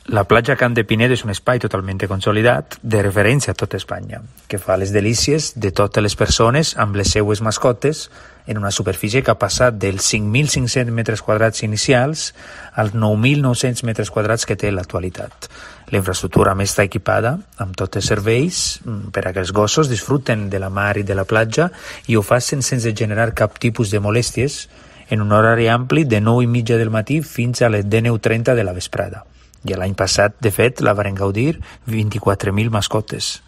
La platja Camp de Pinet és un espai totalment consolidat de referència a tota Espanya, que fa les delícies de totes les persones amb les seues mascotes en una superfície que ha passat dels 5.500 metres quadrats inicials als 9.900 metres quadrats que té en l'actualitat. La infraestructura més està equipada amb tots els serveis per a que els gossos disfruten de la mar i de la platja i ho facin sense generar cap tipus de molèsties en un horari ampli de 9:30 del matí fins a les 19:30 de la vesprada. I l'any passat, de fet, la varen gaudir 24.000 mascotes.